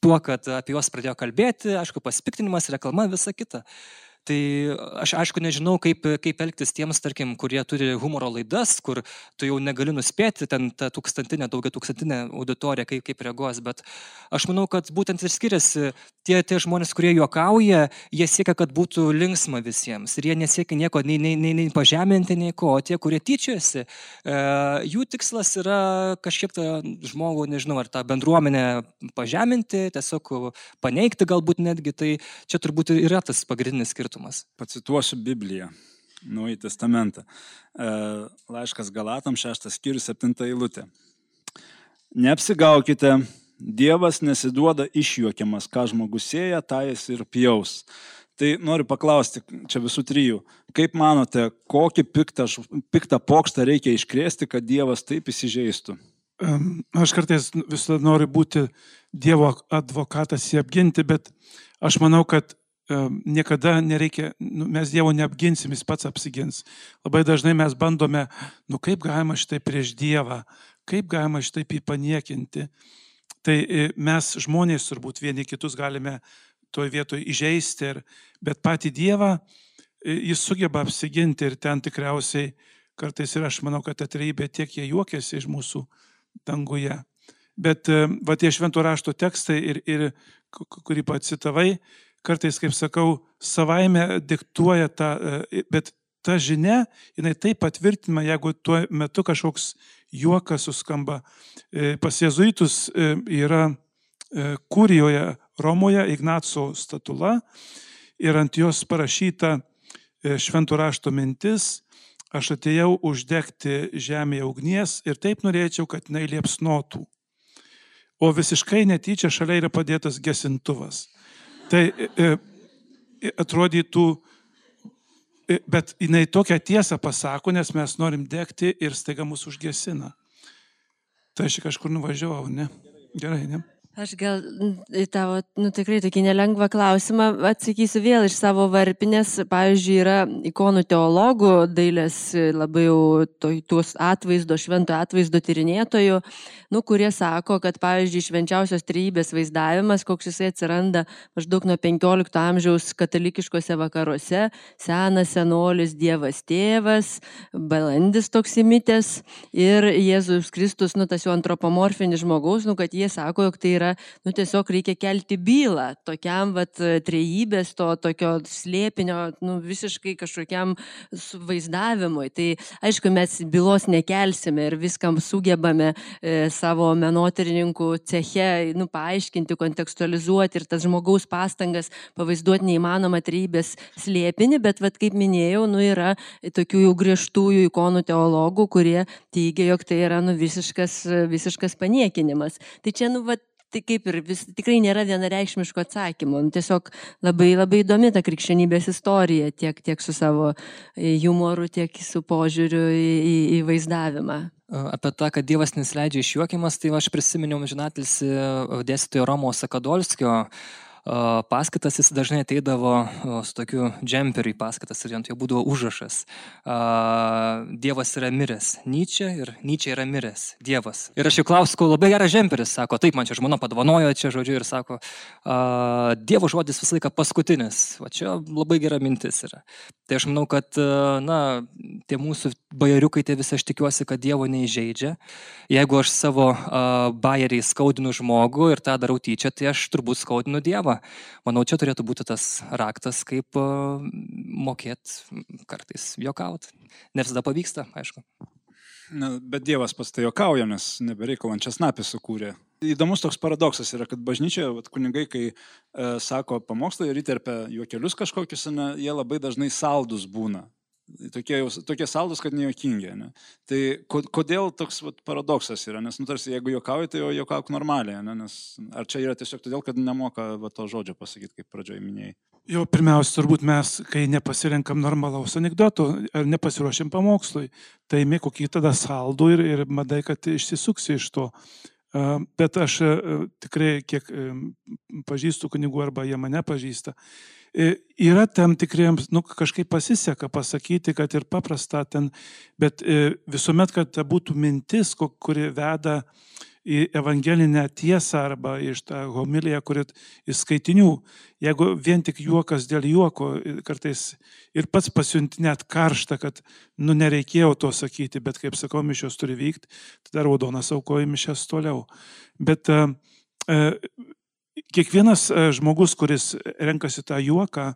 tuo, kad apie juos pradėjo kalbėti, aišku, pasipiktinimas, reklama, visa kita. Tai aš aišku nežinau, kaip, kaip elgtis tiems, tarkim, kurie turi humoro laidas, kur tu jau negali nuspėti ten tą tūkstantinę, daugia tūkstantinę auditoriją, kaip, kaip reaguos, bet aš manau, kad būtent ir skiriasi tie, tie žmonės, kurie juokauja, jie siekia, kad būtų linksma visiems ir jie nesiekia nieko nei, nei, nei, nei pažeminti, nei ko, o tie, kurie tyčiojasi, e, jų tikslas yra kažkiek tą žmogų, nežinau, ar tą bendruomenę pažeminti, tiesiog paneigti galbūt netgi, tai čia turbūt yra tas pagrindinis skirtumas. Pacituosiu Bibliją, Naująjį testamentą. Laiškas Galatam, šeštas skyrius, septinta eilutė. Neapsigaukite, Dievas nesiduoda išjuokiamas, ką žmogus sėja, tą jis ir pjaus. Tai noriu paklausti čia visų trijų, kaip manote, kokį piktą, piktą pokštą reikia iškrėsti, kad Dievas taip įsižeistų? Aš kartais visada noriu būti Dievo advokatas jį apginti, bet aš manau, kad niekada nereikia, nu, mes Dievo neapginsim, jis pats apsigins. Labai dažnai mes bandome, nu kaip galima šitai prieš Dievą, kaip galima šitai jį paniekinti. Tai mes žmonės turbūt vieni kitus galime toj vietoj įžeisti, ir, bet patį Dievą jis sugeba apsiginti ir ten tikriausiai kartais ir aš manau, kad ta trejybė tiek jie juokiasi iš mūsų danguje. Bet va tie švento rašto tekstai, ir, ir, kurį pacitavai, kartais, kaip sakau, savaime diktuoja tą, bet ta žinia, jinai taip patvirtina, jeigu tuo metu kažkoks juokas suskamba. Pas jėzuitus yra Kurijoje Romoje Ignaco statula ir ant jos parašyta švento rašto mintis: aš atėjau uždegti žemėje ugnies ir taip norėčiau, kad jinai liepsnotų. O visiškai netyčia šalia yra padėtas gesintuvas. Tai e, atrodytų, e, bet jinai tokią tiesą pasako, nes mes norim degti ir staiga mus užgesina. Tai aš kažkur nuvažiavau, ne? Gerai, ne? Aš gal į tavo, nu, tikrai tokį nelengvą klausimą atsakysiu vėl iš savo varpinės. Pavyzdžiui, yra ikonų teologų, dailės labai jau to, tuos atvaizdo, švento atvaizdo tyrinėtojų, nu, kurie sako, kad, pavyzdžiui, švenčiausios trejybės vaizdavimas, koks jisai atsiranda maždaug nuo penkiolikto amžiaus katalikiškose vakaruose, senas senolis Dievas tėvas, balandis toks įmitęs ir Jėzus Kristus, nu, tas jau antropomorfinis žmogaus, nu, kad jie sako, jog tai yra, nu, tiesiog reikia kelti bylą tokiam, vat, trejybės, to tokio slėpinio, nu, visiškai kažkokiam vaizdavimui. Tai, aišku, mes bylos nekelsime ir viskam sugebame e, savo menotyrininkų ceche, nu, paaiškinti, kontekstualizuoti ir tas žmogaus pastangas pavaizduoti neįmanoma trejybės slėpinį, bet, vat, kaip minėjau, nu, yra tokių jau griežtųjų ikonų teologų, kurie teigia, jog tai yra, nu, visiškas, visiškas paniekinimas. Tai čia, nu, vat, tai kaip ir vis, tikrai nėra vienareikšmiško atsakymo. Tiesiog labai, labai įdomi ta krikščionybės istorija, tiek, tiek su savo humoru, tiek su požiūriu į, į, į vaizdavimą. Apie tą, kad Dievas nesileidžia išjuokiamas, tai aš prisiminiau amžinatilsį dėstytojo Romo Sakadolskio paskaitas. Jis dažnai ateidavo su tokiu džemperiu į paskaitas ir ant jo būdavo užrašas: Dievas yra miręs. Nyčė ir Nyčė yra miręs. Dievas. Ir aš jau klausiau, labai geras džemperis, sako, taip, man čia žmona padovanojo čia, žodžiu, ir sako, Dievo žodis visą laiką paskutinis. Va čia labai gera mintis yra. Tai aš manau, kad, na, tie mūsų bajeriukai, tai visi aš tikiuosi, kad Dievo neįžeidžia. Jeigu aš savo bajerį skaudinu žmogų ir tą darau tyčia, tai aš turbūt skaudinu Dievą. Manau, čia turėtų būti tas raktas, kaip uh, mokėt kartais juokaut. Ne visada pavyksta, aišku. Na, bet Dievas pats tai juokauja, nes nebereikalant česnapį sukūrė. Įdomus toks paradoksas yra, kad bažnyčioje vat, kunigai, kai e, sako pamokslą ir įterpia juokelius kažkokius, ne, jie labai dažnai saldus būna. Tokie, tokie saldus, kad nejuokingi. Ne? Tai kodėl toks vat, paradoksas yra? Nes, nu, tarsi, jeigu juokauji, tai jau juokauk normaliai. Ne? Nes, ar čia yra tiesiog todėl, kad nemoka va, to žodžio pasakyti, kaip pradžioje minėjai? Jo, pirmiausia, turbūt mes, kai nepasirenkam normalaus anekdoto ar nepasiruošiam pamokslui, tai mė kokį tada saldų ir, ir madai, kad išsisuksi iš to. Bet aš tikrai, kiek pažįstu kunigų arba jie mane pažįsta, yra tam tikriems, nu, kažkaip pasiseka pasakyti, kad ir paprasta ten, bet visuomet, kad būtų mintis, kuri veda į evangelinę tiesą arba iš tą homiliją, kuri iš skaitinių. Jeigu vien tik juokas dėl juoko, kartais ir pats pasiunti net karštą, kad nu nereikėjo to sakyti, bet kaip sakau, mišios turi vykti, tada raudonas aukoja mišias toliau. Bet e, kiekvienas žmogus, kuris renkasi tą juoką,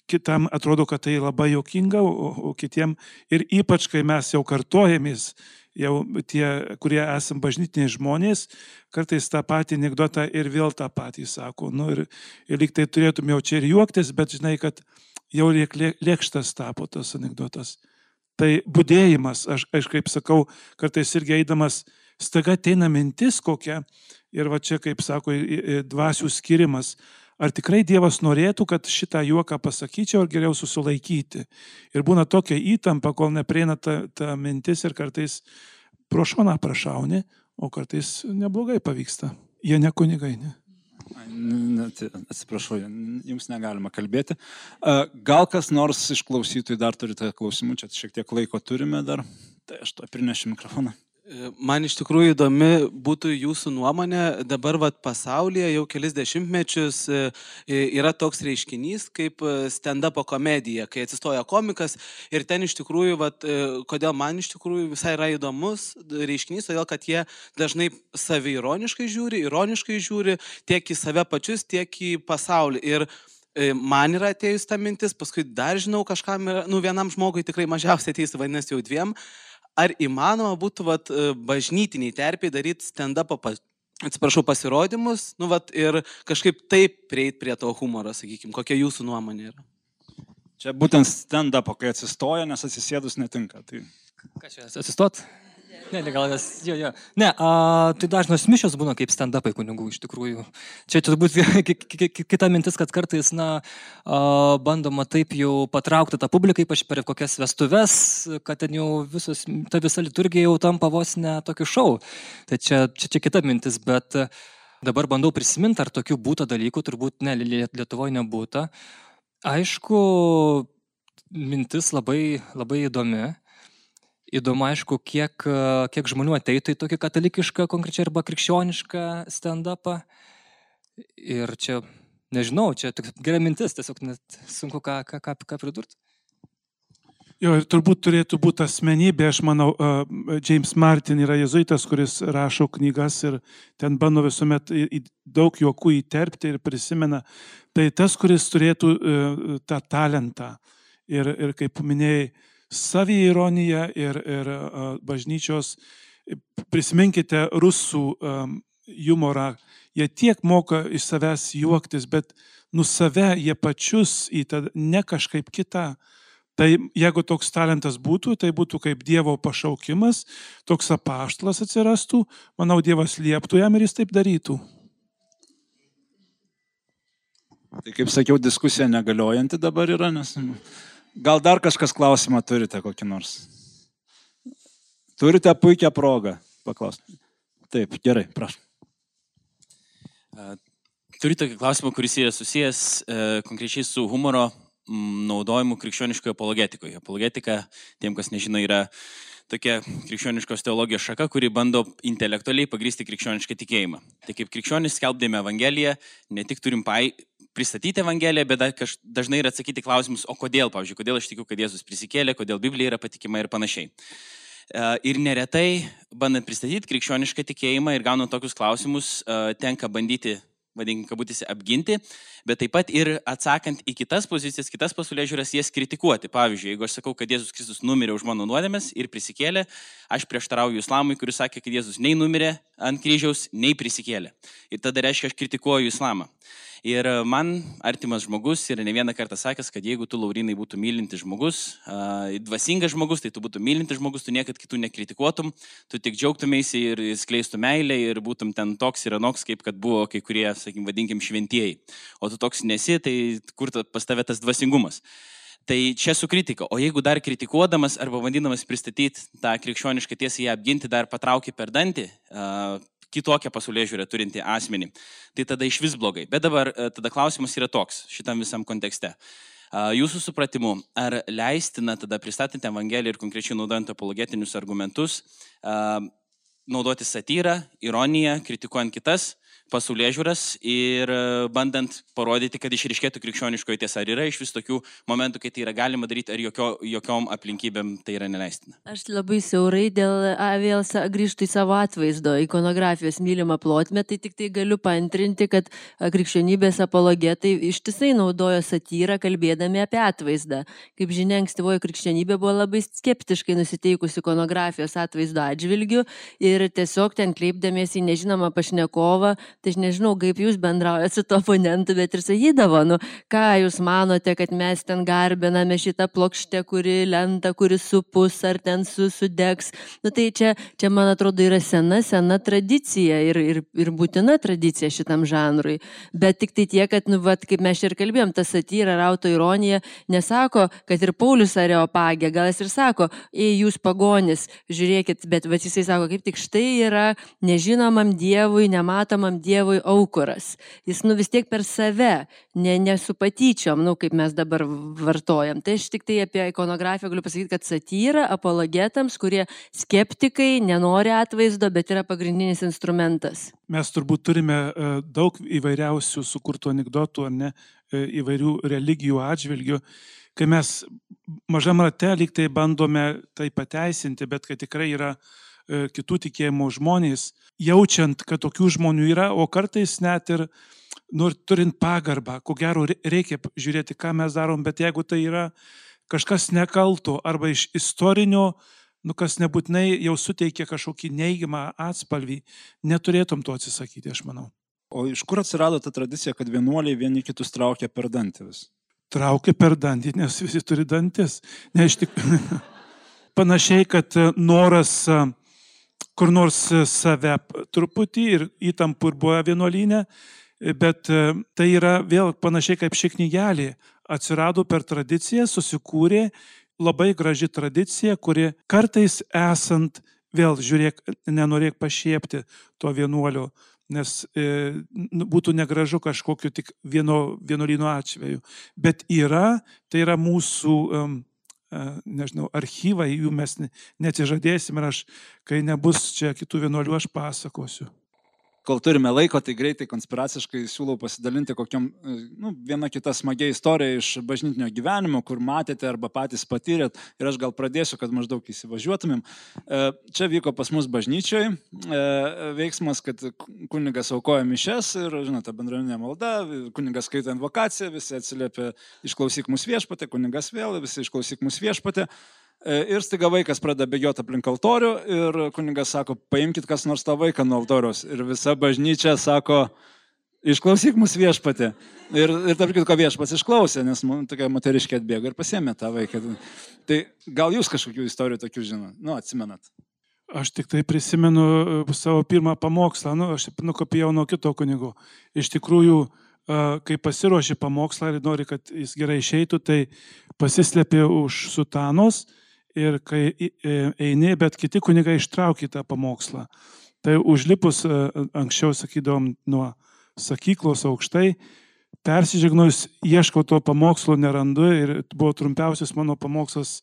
kitam atrodo, kad tai labai juokinga, o, o kitiem ir ypač, kai mes jau kartojamės, jau tie, kurie esam bažnytiniai žmonės, kartais tą patį anekdotą ir vėl tą patį sako. Nu, ir, ir lyg tai turėtum jau čia ir juoktis, bet žinai, kad jau lėkštas tapo tas anekdotas. Tai budėjimas, aš, aš kaip sakau, kartais irgi eidamas, staiga ateina mintis kokia, ir va čia, kaip sako, dvasių skirimas. Ar tikrai Dievas norėtų, kad šitą juoką pasakyčiau, ar geriau susilaikyti? Ir būna tokia įtampa, kol neprieina ta, ta mintis ir kartais pro šoną prašauni, o kartais neblogai pavyksta. Jie ne kunigai, ne? Atsiprašau, jums negalima kalbėti. Gal kas nors iš klausytojų dar turite klausimų, čia šiek tiek laiko turime dar, tai aš to prinešiu mikrofoną. Man iš tikrųjų įdomi būtų jūsų nuomonė. Dabar vat, pasaulyje jau kelis dešimtmečius yra toks reiškinys kaip stand-upo komedija, kai atsistoja komikas ir ten iš tikrųjų, vat, kodėl man iš tikrųjų visai yra įdomus reiškinys, todėl kad jie dažnai saviironiškai žiūri, ironiškai žiūri tiek į save pačius, tiek į pasaulį. Ir man yra atėjus ta mintis, paskui dar žinau kažkam, yra, nu vienam žmogui tikrai mažiausiai ateis, vadinasi jau dviem. Ar įmanoma būtų vat, bažnytiniai terpiai daryti stand-up'o, atsiprašau, pasirodymus, nu, vat, ir kažkaip taip prieiti prie to humoro, sakykime, kokia jūsų nuomonė yra? Čia būtent stand-up'o, kai atsistoja, nes atsisėdus netinka. Tai... Ką čia, atsistot? Ne, ne, gal nes, jo, jo. Ne, a, tai dažnos mišios būna kaip stand-upai kunigų iš tikrųjų. Čia turbūt kita mintis, kad kartais, na, a, bandoma taip jau patraukti tą publiką, ypač per kokias vestuves, kad ten jau visos, ta visa liturgija jau tampa vos ne tokiu šou. Tai čia, čia, čia kita mintis, bet dabar bandau prisiminti, ar tokių būta dalykų, turbūt ne, Lietuvoje nebūta. Aišku, mintis labai, labai įdomi. Įdomu, aišku, kiek, kiek žmonių ateitų į tokį katalikišką, konkrečiai arba krikščionišką stand-upą. Ir čia, nežinau, čia tik gera mintis, tiesiog net sunku ką, ką, ką, ką pridurti. Jo, ir turbūt turėtų būti asmenybė, aš manau, uh, James Martin yra jezuitas, kuris rašo knygas ir ten bando visuomet į, į daug juokų įterpti ir prisimena. Tai tas, kuris turėtų uh, tą talentą ir, ir kaip minėjai, saviironija ir, ir uh, bažnyčios. Prisiminkite rusų um, humorą. Jie tiek moka iš savęs juoktis, bet nu save jie pačius į tą ne kažkaip kitą. Tai jeigu toks talentas būtų, tai būtų kaip Dievo pašaukimas, toks apaštalas atsirastų, manau, Dievas lieptų jam ir jis taip darytų. Tai kaip sakiau, diskusija negaliojanti dabar yra, nes... Gal dar kažkas klausimą turite kokį nors? Turite puikią progą paklausti. Taip, gerai, prašau. Turiu tokį klausimą, kuris yra susijęs e, konkrečiai su humoro m, naudojimu krikščioniškoje apologetikoje. Apologetika, tiem, kas nežino, yra tokia krikščioniškos teologijos šaka, kuri bando intelektualiai pagrysti krikščionišką tikėjimą. Tai kaip krikščionis skelbdami Evangeliją, ne tik turim pai... pristatyti Evangeliją, bet dažnai ir atsakyti klausimus, o kodėl, pavyzdžiui, kodėl aš tikiu, kad Jėzus prisikėlė, kodėl Biblija yra patikima ir panašiai. Ir neretai, bandant pristatyti krikščionišką tikėjimą ir gaunant tokius klausimus, tenka bandyti, vadinkim, kabutėse, apginti, bet taip pat ir atsakant į kitas pozicijas, kitas pasaulėžiūras, jas kritikuoti. Pavyzdžiui, jeigu aš sakau, kad Jėzus Kristus numirė už mano nuodėmes ir prisikėlė, aš prieštarauju islamui, kuris sakė, kad Jėzus nei numirė ant kryžiaus, nei prisikėlė. Ir tada reiškia, aš kritikuoju islamą. Ir man artimas žmogus yra ne vieną kartą sakęs, kad jeigu tu, Laurinai, būtų mylintis žmogus, dvasingas žmogus, tai tu būtų mylintis žmogus, tu niekad kitų nekritikuotum, tu tik džiaugtumėsi ir skleistų meilę ir būtum ten toks ir anoks, kaip kad buvo kai kurie, sakykim, vadinkim, šventieji. O tu toks nesi, tai kur pas tave tas dvasingumas? Tai čia su kritika. O jeigu dar kritikuodamas arba bandydamas pristatyti tą krikščionišką tiesą, ją apginti, dar patrauki per dantį, kitokią pasaulėžiūrę turinti asmenį, tai tada iš vis blogai. Bet dabar tada klausimas yra toks šitam visam kontekste. Jūsų supratimu, ar leistina tada pristatinti Evangeliją ir konkrečiai naudojant apologetinius argumentus, naudoti satyrą, ironiją, kritikuojant kitas pasaulėžiūras ir bandant parodyti, kad išryškėtų krikščioniškoji tiesa. Ar yra iš vis tokių momentų, kai tai yra galima daryti, ar jokio, jokiom aplinkybėm tai yra neleistina? Aš labai siaurai dėl a, vėl sa- grįžtu į savo atvaizdo, ikonografijos mylimą plotmę, tai tik tai galiu paantrinti, kad a, krikščionybės apologetai ištisai naudojo satyrą, kalbėdami apie atvaizdą. Kaip žinia, ankstyvoji krikščionybė buvo labai skeptiškai nusiteikusi ikonografijos atvaizdo atžvilgių ir tiesiog ten kreipdamiesi į nežinomą pašnekovą, tai aš nežinau, kaip jūs bendraujate su to oponentu, bet ir sakydavo, nu, ką jūs manote, kad mes ten garbiname šitą plokštę, kuri lenta, kuri supus ar ten su, sudegs. Nu, tai čia, čia, man atrodo, yra sena, sena tradicija ir, ir, ir būtina tradicija šitam žanrui. Bet tik tai tiek, kad, nu, vat, kaip mes ir kalbėjom, ta satyra ar autoironija nesako, kad ir Paulius Areopagė, gal jis ir sako, ei, jūs pagonis, žiūrėkit, bet vat, jisai sako, kaip tik štai yra nežinomam Dievui, nematomam Dievui aukuras. Jis, nu, vis tiek per save, ne, ne su patyčiom, nu, kaip mes dabar vartojam. Tai aš tik tai apie ikonografiją galiu pasakyti, kad satyra apologetams, kurie skeptikai, nenori atvaizdo, bet yra pagrindinis instrumentas. Mes turbūt turime e, daug įvairiausių sukurtų anekdotų, ar ne, e, įvairių religijų atžvilgių, kai mes mažam rate lyg tai bandome tai pateisinti, bet kad tikrai yra e, kitų tikėjimų žmonės, jaučiant, kad tokių žmonių yra, o kartais net ir nu, turint pagarbą, ko gero reikia žiūrėti, ką mes darom, bet jeigu tai yra kažkas nekalto arba iš istorinio, nu, kas nebūtinai jau suteikia kažkokį neigiamą atspalvį, neturėtum to atsisakyti, aš manau. O iš kur atsirado ta tradicija, kad vienuoliai vieni kitus traukia per dantį vis? Traukia per dantį, nes visi turi dantis. Ne, iš tik... Panašiai, kad noras kur nors save truputį ir įtampų ir buvo vienuolyne, bet tai yra vėl panašiai kaip ši knygelė. Atsirado per tradiciją, susikūrė labai graži tradicija, kuri kartais esant, vėl žiūrėk, nenorėk pašiepti to vienuolio, nes e, būtų negražu kažkokiu tik vieno, vienuolyno atveju. Bet yra, tai yra mūsų, um, nežinau, archyvai, jų mes neatsižadėsim ir aš, kai nebus čia kitų vienuolių, aš pasakosiu. Kol turime laiko, tai greitai konspiraciškai siūlau pasidalinti kokiam, nu, viena kita smagia istorija iš bažnytinio gyvenimo, kur matėte arba patys patyrėt. Ir aš gal pradėsiu, kad maždaug įsivažiuotumėm. Čia vyko pas mus bažnyčioj veiksmas, kad kunigas aukoja mišes ir, žinote, bendruomeninė malda, kunigas skaito invokaciją, visi atsiliepia išklausyk mus viešpatė, kunigas vėl, visi išklausyk mus viešpatė. Ir staiga vaikas pradeda bėgioti aplink altorių ir kunigas sako, paimkit kas nors tą vaiką nuo altoriaus. Ir visa bažnyčia sako, išklausyk mus viešpatė. Ir, ir tarp kitko viešpats išklausė, nes tokia moteriškė atbėgo ir pasiėmė tą vaiką. Tai gal jūs kažkokių istorijų tokių žinot? Nu, atsimenat. Aš tik tai prisimenu savo pirmą pamokslą, nu, aš nukopijau nuo kito kunigo. Iš tikrųjų, kai pasiruoši pamokslą ir nori, kad jis gerai išeitų, tai pasislėpė už sutanos. Ir kai eini, bet kiti kunigai ištraukė tą pamokslą. Tai užlipus, anksčiau sakydom, nuo sakyklos aukštai, persižegnojus, ieškau to pamokslo, nerandu ir buvo trumpiausias mano pamokslas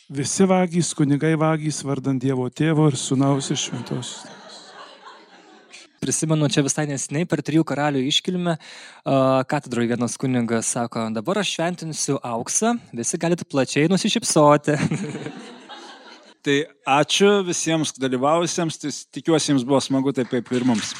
visi vagys, kunigai vagys, vardant Dievo Tėvo ir Sūnaus ir Šventosios. Prisimenu, čia visai nesiniai per trijų karalių iškilmę katedroje vienas kunigas sako, dabar aš šventinsiu auksą, visi galite plačiai nusišypsoti. Tai ačiū visiems dalyvavusiems, tai tikiuosi jums buvo smagu taip kaip ir mums.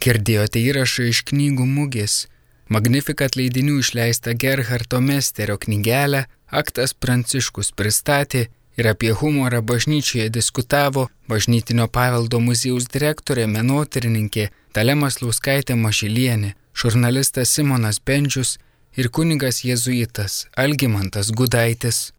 Girdėjote įrašą iš knygų mugės. Magnificat leidinių išleista Gerhardo Mesterio knygelę Aktas Pranciškus pristatė ir apie humorą bažnyčioje diskutavo Bažnytinio paveldo muziejaus direktorė menotyrininkė Dalia Maslauskaitė Mažylienė, žurnalistas Simonas Bendžius ir kunigas jėzuitas Algimantas Gudaitis.